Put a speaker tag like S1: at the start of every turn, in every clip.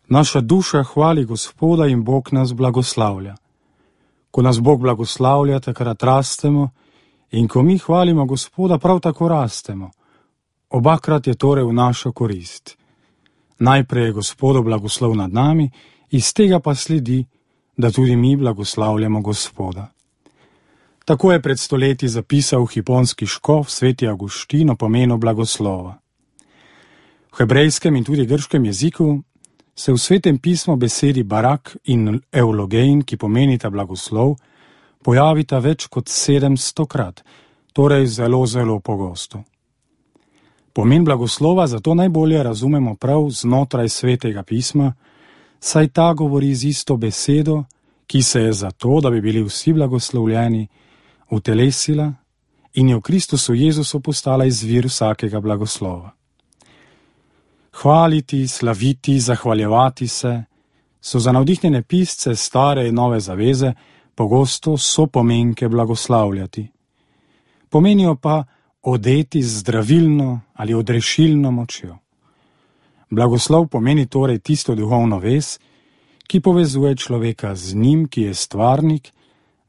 S1: Naša duša hvali Gospoda in Bog nas blagoslavlja. Ko nas Bog blagoslavlja, takrat rastemo, in ko mi hvalimo Gospoda, prav tako rastemo. Obakrat je torej v našo korist. Najprej je Gospodov blagoslov nad nami, iz tega pa sledi, da tudi mi blagoslavljamo Gospoda. Tako je pred stoletji zapisal hiponski škof sveti Avguštin o pomenu blagoslova. V hebrejskem in tudi grškem jeziku se v svetem pismu besedi barak in eulogein, ki pomenita blagoslov, pojavita več kot 700krat, torej zelo pogosto. Pomen blagoslova zato najbolje razumemo prav znotraj svetega pisma, saj ta govori z isto besedo, ki se je zato, da bi bili vsi blagoslovljeni, utelesila in je v Kristusu Jezusu postala izvir vsakega blagoslova. Hvaliti, slaviti, zahvaljevati se so za navdihnjene pisce stare in nove zaveze pogosto sopomenke blagoslavljati. Pomenijo pa odeti z zdravilno ali odrešilno močjo. Blagoslov pomeni torej tisto duhovno vez, ki povezuje človeka z njim, ki je stvarnik,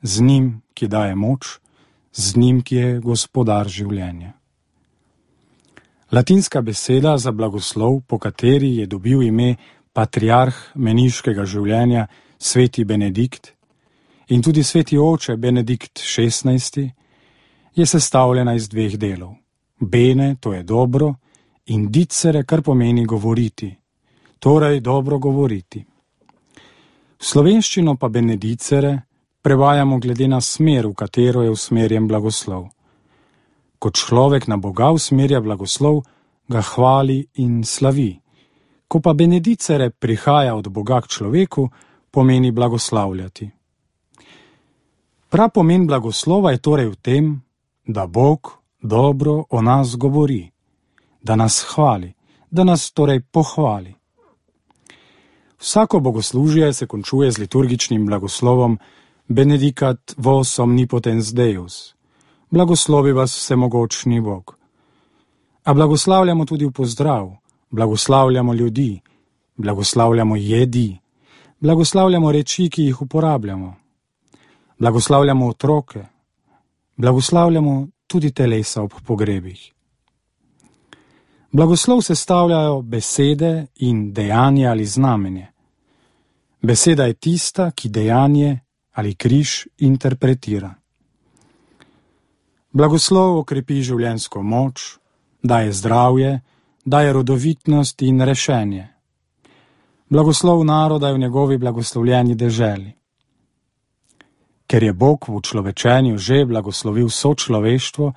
S1: z njim, ki daje moč, z njim, ki je gospodar življenja. Latinska beseda za blagoslov, po kateri je dobil ime patriarh meniškega življenja sveti Benedikt in tudi sveti oče Benedikt XVI, je sestavljena iz dveh delov. Bene, to je dobro, in dicere, kar pomeni govoriti, torej dobro govoriti. V slovenščino pa benedicere prevajamo glede na smer, v katero je usmerjen blagoslov. Ko človek na Boga usmerja blagoslov, ga hvali in slavi. Ko pa benedicere prihaja od Boga k človeku, pomeni blagoslavljati. Prav pomen blagoslova je torej v tem, da Bog dobro o nas govori, da nas hvali, da nas torej pohvali. Vsako bogoslužje se končuje z liturgičnim blagoslovom Benedicat vos omnipotens Deus, blagoslovi vas vsemogočni Bog. A blagoslavljamo tudi v pozdrav, blagoslavljamo ljudi, blagoslavljamo jedi, blagoslavljamo reči, ki jih uporabljamo, blagoslavljamo otroke, blagoslavljamo tudi telesa ob pogrebih. Blagoslov sestavljajo besede in dejanje ali znamenje. Beseda je tista, ki dejanje ali križ interpretira. Blagoslov okrepi življenjsko moč, daje zdravje, daje rodovitnost in rešenje. Blagoslov naroda je v njegovi blagoslovljeni deželi. Ker je Bog v človečenju že blagoslovil vso človeštvo,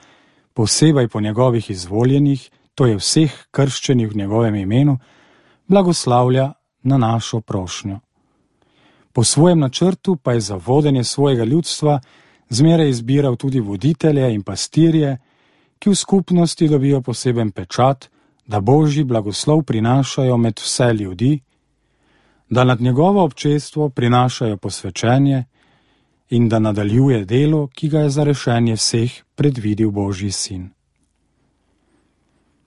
S1: posebej po njegovih izvoljenih, to je vseh krščenih v njegovem imenu, blagoslavlja na našo prošnjo. Po svojem načrtu pa je za vodenje svojega ljudstva zmeraj izbiral tudi voditelje in pastirje, ki v skupnosti dobijo poseben pečat, da Božji blagoslov prinašajo med vse ljudi, da nad njegovo občestvo prinašajo posvečenje in da nadaljuje delo, ki ga je za rešenje vseh predvidel Božji sin.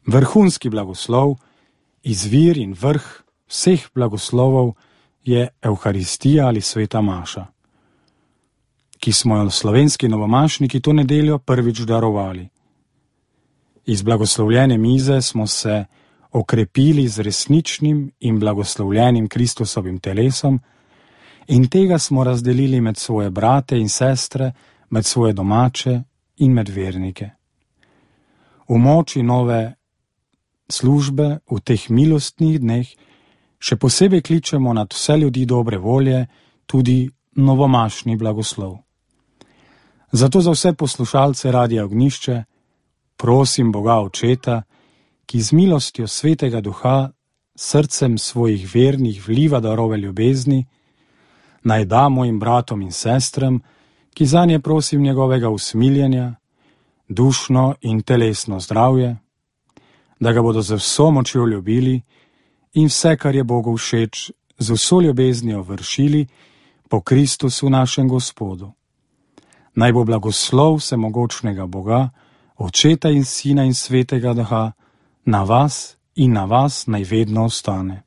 S1: Vrhunski blagoslov, izvir in vrh vseh blagoslovov je Evharistija ali sveta maša, ki smo jo slovenski novomašniki to nedeljo prvič darovali. Iz blagoslovljene mize smo se okrepili z resničnim in blagoslovljenim Kristusovim telesom in tega smo razdelili med svoje brate in sestre, med svoje domače in med vernike. V moči nove službe v teh milostnih dneh še posebej kličemo nad vse ljudi dobre volje tudi novomašni blagoslov. Zato za vse poslušalce Radia Ognjišče prosim Boga Očeta, ki z milostjo Svetega Duha srcem svojih vernih vliva darove ljubezni, naj da mojim bratom in sestram, ki zanje prosim njegovega usmiljenja, dušno in telesno zdravje, da ga bodo z vso močjo ljubili in vse, kar je Bogu všeč, z vso ljubeznijo vršili po Kristusu našem Gospodu. Naj bo blagoslov vsemogočnega Boga, Očeta in Sina in Svetega Duha, na vas in na vas naj vedno ostane.